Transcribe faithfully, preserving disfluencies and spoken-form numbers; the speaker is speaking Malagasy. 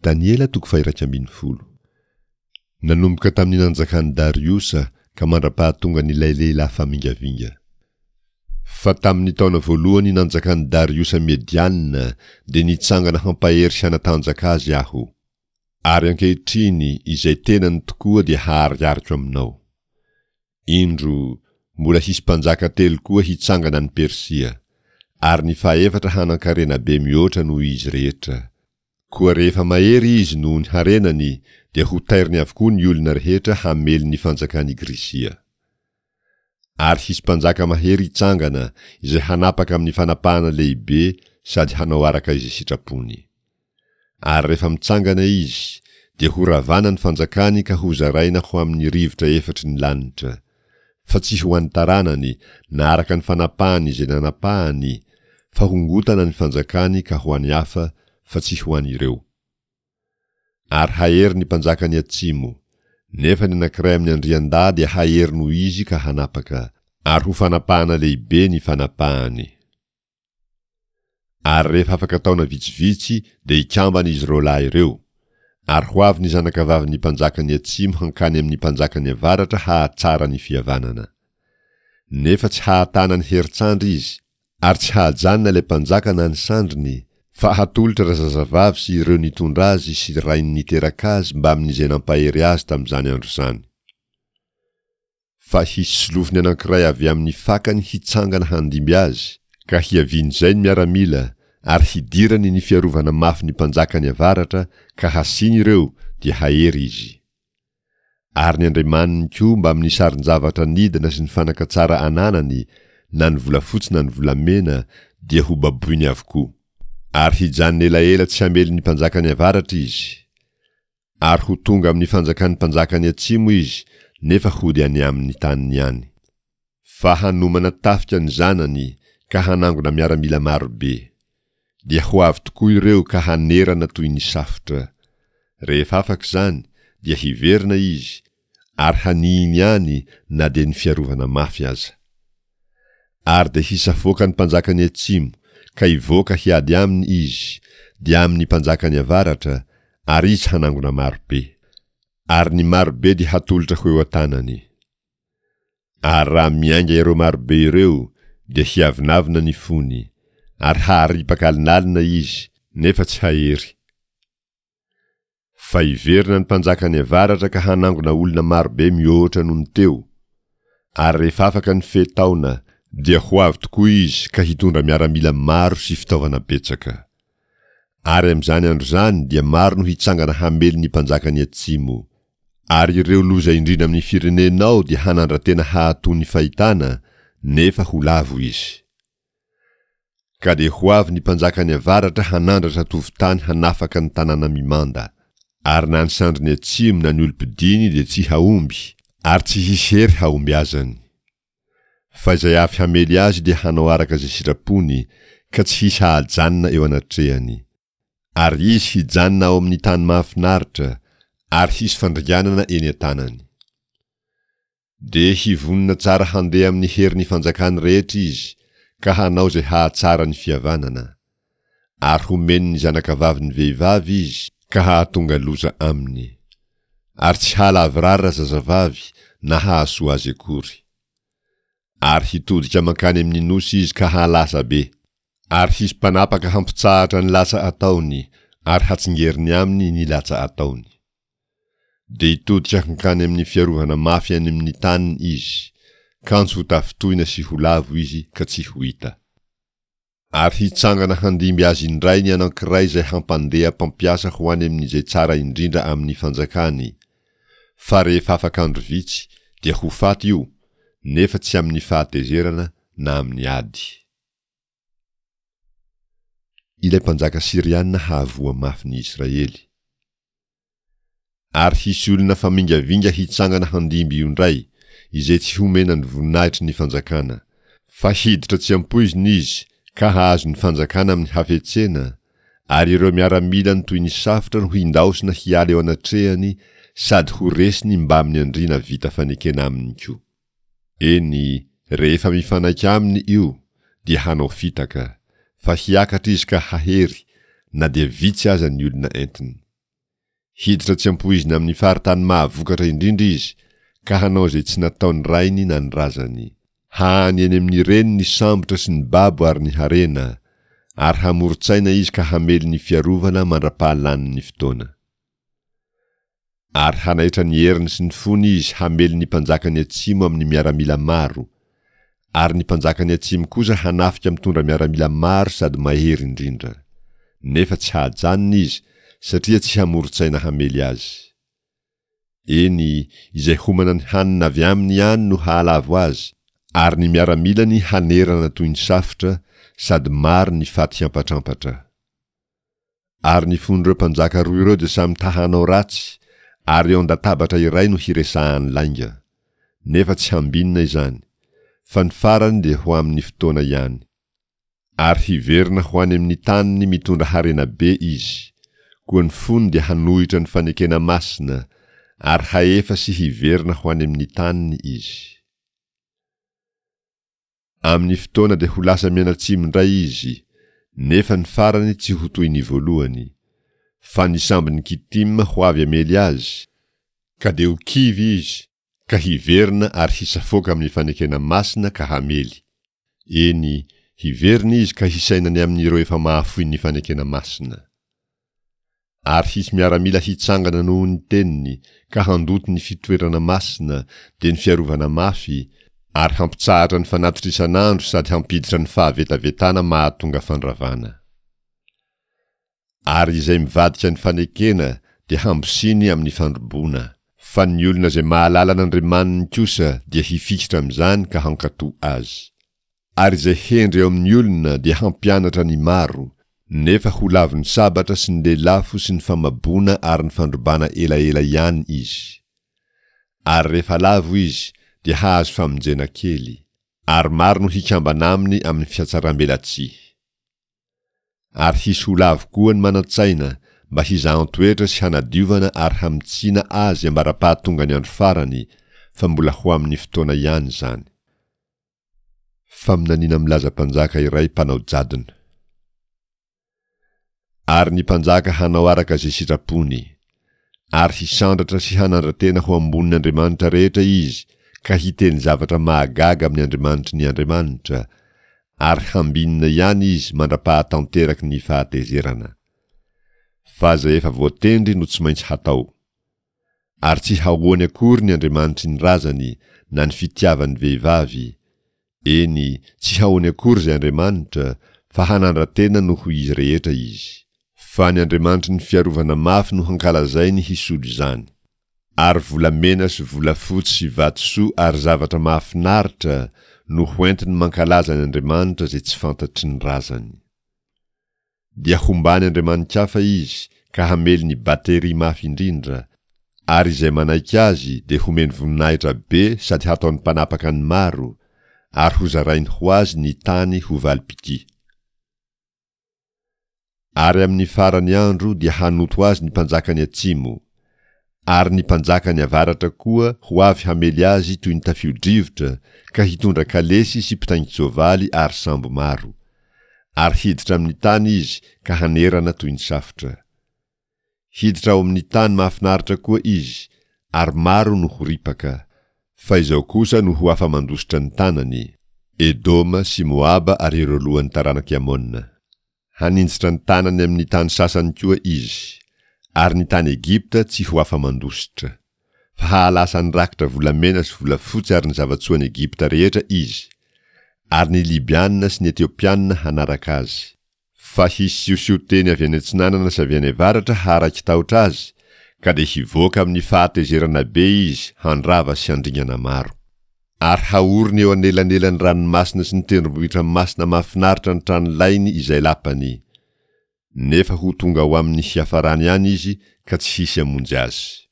Daniela toko faha-iraika ambin'ny folo. Nanomboka tamin'ny nanjakan'i Dariosa ka mandra-pahatongan'ilay lehilahy famingavinga. Fa tamin'ny taona voalohany nanjakan'i Dariosa Mediana dia nitsangana hampahery sy hanatanjaka azy aho. Ary ankehitriny izay tenany tokoa dia haharihariko aminao. Indro, mbola hisy mpanjaka telo koa hitsangana any Persia, ary ny fahefatra hanan-karena be mihoatra noho izy rehetra. Koa rehefa mahery izy noho ny harenany, dia hotairiny avokoa ny olona rehetra hamely ny fanjakan'i Grisia. Ary hisy mpanjaka mahery hitsangana, izay hanapaka amin'ny fanapahana lehibe sady hanao araka izay sitrapony. Ary rehefa mitsangana izy, dia horavana ny fanjakany ka hozaraina ho amin'ny rivotra efatry ny lanitra, fa tsy ho an'ny taranany, na araka ny fanapahany izay nanapahany, fa hongotana ny fanjakany ka ho an'ny hafa, fa tsy ho an'ireo. Ary hahery ny mpanjakan'ny atsimo, nefa ny anankiray amin'ny andriandahy dia hahery noho izy ka hanapaka, ary ho fanapahana lehibe ny fanapahany. Ary rehefa afaka taona vitsivitsy dia hikambana izy roa lahy ireo, ary ho avy ny zanakavavin'ny mpanjakan'ny atsimo hankany amin'ny mpanjakan'ny avaratra hahatsara ny fihavanana. Nefa tsy hahatana ny herin-tsandry izy, ary tsy hahajanona ilay mpanjaka na ny sandriny, fa hatolotra razazavavy sy ireo nitondra azy sy rainy niteraka azy mbamin'izay nampahery azy tamin'izany andro izany. Fa hisy solofony anankiray avy amin'ny fakany hitsangana handimby azy, ka hiavian'izay ny miaramila, ary hidirany ny fiarovana mafy ny mpanjakan'ny avaratra, ka hasiany ireo, dia hahery izy. Ary ny andriamaniny koa mbamin'ny sarin-javatra nidina sy ny fanaka tsara ananany, na ny volafotsy na ny volamena, dia hobaboiny avokoa. Ary hijanona elaela tsy hamely ny mpanjakan'ny avaratra izy. Ary ho tonga amin'ny fanjakan'ny mpanjakan'ny atsimo izy, nefa hody any amin'ny taniny ihany. Fa hanomana tafika ny zanany ka hanangona miaramila maro be. Dia ho avy tokoa ireo ka hanerana toy ny safotra. Rehefa afaka izany, dia hiverina izy, ary hanihiny any na dia ny fiarovana mafy aza. Ary dia hisafoaka ny mpanjakan'ny atsimo, ka hivoaka hiady aminy izy, dia amin'ny mpanjakan'ny avaratra, ary izy hanangona maro be. Ary ny maro be dia hatolotra ho eo an-tanany. Ary raha miainga ireo maro be ireo, dia hiavonavona ny fony, ary haharipaka alinalina izy, nefa tsy hahery. Fa hiverina ny mpanjakan'ny avaratra ka hanangona olona marobe mihoatra noho ny teo, ary rehefa afaka ny fe taona, dia ho avy tokoa izy ka hitondra miaramila maro sy fitaovana betsaka. Ary amin'izany andro izany dia maro no hitsangana hamely ny mpanjakan'ny atsimo. Ary ireo loza indrindra amin'ny firenenao dia hanandra-tena hahatoa ny fahitana, nefa ho lavo izy. Ka dia ho avy ny mpanjakan'ny avaratra hanandratra tovon-tany hanafaka ny tanàna mimanda. Ary na ny sandriny atsimo na ny olom-pidiny dia tsy hahomby, ary tsy hisy hery hahombiazany. Fa izay avy hamely azy dia hanao araka izay sitrapony, ka tsy hisy hahajanona eo anatrehany. Ary izy hijanona ao amin'ny tany mahafinaritra, ary hisy fandringanana eny an-tanany. Dia hivonona tsara handeha amin'ny herin'ny fanjakany rehetra izy, ka hanao izay hahatsara ny fihavanana. Ary homeny ny zanakavavin'ny vehivavy izy, ka hahatonga loza aminy. Ary tsy hahalavorary razazavavy na hahasoa azy akory. Ary hitodika mankany amin'ny nosy izy ka hahalasa be. Ary hisy mpanapaka hampitsahatra ny latsa ataony, ary hatsingeriny aminy ny latsa ataony. Dia hitodika hankany amin'ny fiarovana mafy any amin'ny taniny izy, kanjo ho tafintohina sy ho lavo izy ka tsy ho hita. Ary hitsangana handimby azy indray ny anankiray izay hampandeha mpampiasa ho any amin'izay tsara indrindra amin'ny fanjakany, fa rehefa afaka andro vitsy dia ho faty io, nefa tsy amin'ny fahatezerana na amin'ny ady. Ilay mpanjaka syriana hahavoa mafy ny Israely. Ary hisy olona famingavinga hitsangana handimby io indray, izay tsy homena ny voninahitry ny fanjakana. Fa hiditra tsy ampoizina izy ka hahazo ny fanjakana amin'ny hafetsena, ary ireo miaramilany toy ny safotra no hindaosina hiala eo anatrehany sady ho resiny mbamin'ny andriana vita fanekena aminy koa. Eny, rehefa mifanaiky aminy io, dia hanao fitaka, fa hiakatra izy ka hahery, na dia vitsy aza ny olona entiny. Hiditra tsy ampoizina amin'ny faritany mahavokatra indrindra izy, ka hanao izay tsy nataon'ny rainy na ny razany. Hahany eny amin'ny reny ny sambotra sy ny babo ary ny harena, ary hamoron-tsaina izy ka hamely ny fiarovana mandra-pahalanin'ny fotoana. Ary hanaitra ny heriny sy ny fony izy hamely ny mpanjakan'ny atsimo amin'ny miaramila maro, ary ny mpanjakan'ny atsimo kosa hanafika mitondra miaramila maro sady mahery indrindra. Nefa tsy hahajanona izy, satria tsy hamoron-tsaina hamely azy. Eny, izay homana ny hanina avy aminy ihany no hahalavo azy, ary ny miaramilany hanerana toy ny safotra, sady maro ny faty hiampatrampatra. Ary ny fon'ireo mpanjaka roa ireo dia samy ta-hanao ratsy, ary eo an-databatra iray no hiresahany lainga. Nefa tsy hambinina izany, fa ny farany dia ho amin'ny fotoana ihany. Ary hiverina ho any amin'ny taniny mitondra harena be izy. Koa ny fony dia hanohitra ny fanekena masina, ary hahefa sy hiverina ho any amin'ny taniny izy. Amin'ny fotoana dia ho lasa mianatsimo indray izy, nefa ny farany tsy ho toy ny voalohany. Fa ny sambon'i Kitima ho avy hamely azy, ka dia ho kivy izy, ka hiverina ary hisafoaka amin'ny fanekena masina ka hamely. Eny, hiverina izy ka hisaina ny amin'ireo efa mahafoy ny fanekena masina. Ary hisy miaramila hitsangana noho ny teniny ka handoto ny fitoerana masina, dia ny fiarovana mafy, ary hampitsahatra ny fanatitra isan'andro sady hampiditra ny fahavetavetana mahatonga fandravana. Ary izay mivadika ny fanekena dia hambosiny amin'ny fandroboana, fa ny olona izay mahalala an'Andriamaniny kosa dia hifikitra amin'izany ka hankatò azy. Ary izay hendry eo amin'ny olona dia hampianatra ny maro, nefa ho lavin'ny sabatra sy ny lelafo sy ny famaboana ary ny fandrobana elaela ihany izy. Ary rehefa lavo izy dia hahazo famonjena kely, ary maro no hikambana aminy amin'ny fihatsarambelatsihy. Ary hisy ho lavo koa ny manan-tsaina mba hizahan-toetra sy hanadiovana ary hamintsina azy ambara-pahatongan'ny andro farany, fa mbola ho amin'ny fotoana ihany izany. Faminaniana milaza mpanjaka iray mpanao jadona. Ary ny mpanjaka hanao araka izay sitrapony. Ary hisandratra sy hanandra-tena ho ambonin'ny andriamanitra rehetra izy ka hiteny zavatra mahagaga amin'ny andriamanitry ny andriamanitra, ary hambinina ihany izy mandra-pahatanteraky ny fahatezerana. Fa izay efa voatendry no tsy maintsy hatao. Ary tsy hahoany akory ny andriamanitry ny razany na ny fitiavan'ny vehivavy, eny, tsy hahoany akory izay andriamanitra, fa hanandra-tena noho izy rehetra izy. Fa ny andriamanitry ny fiarovana mafy no hankalazainy hisolo izany. Ary volamena sy volafotsy sy vatosoa ary zavatra mahafinaritra no hoentiny mankalaza ny andriamanitra izay tsy fantatry ny razany. Dia hombany andriamani-kafa izy ka hamely ny bateria mafy indrindra, ary izay manaiky azy dia homeny voninahitra be sady hataony mpanapaka ny maro, ary hozarainy ho azy ny tany ho valim-pitia. Ary amin'ny faran'ny andro dia hanoto azy ny mpanjakan'ny atsimo, ary ny mpanjakan'ny avaratra koa ho avy hamely azy toy ny tafio-drivotra ka hitondra kalesy sy mpitaingin-tsoavaly ary sambo maro. Ary hiditra amin'ny tany izy ka hanerana toy ny safotra. Hiditra ao amin'ny tany mahafinaritra koa izy, ary maro no ho ripaka. Fa izao kosa no ho afa-mandositra ny tanany, Edoma sy Moaba ary ireo lohan'ny taranak'i Amona. Haninjitra ny tanany amin'ny tany sasany koa izy, ary ny tany Egypta tsy ho afa-mandositra. Fa hahalasa ny rakitra volamena sy volafotsy ary ny zava-tsoan'i Egypta rehetra izy, ary ny Libiana sy ny Etiopiana hanaraka azy. Fa hisy siosion-teny avy any atsinanana sy avy any avaratra haharaiki-tahotra azy, ka dia hivoaka amin'ny fahatezerana be izy handrava sy handringana maro. Ary haoriny eo anelanelan'ny ranomasina sy ny tendrombohitra masina mahafinaritra ny tranolainy izay lapany. Nefa ho tonga ho amin'ny hiafarany ihany izy ka tsy hisy hamonjy azy.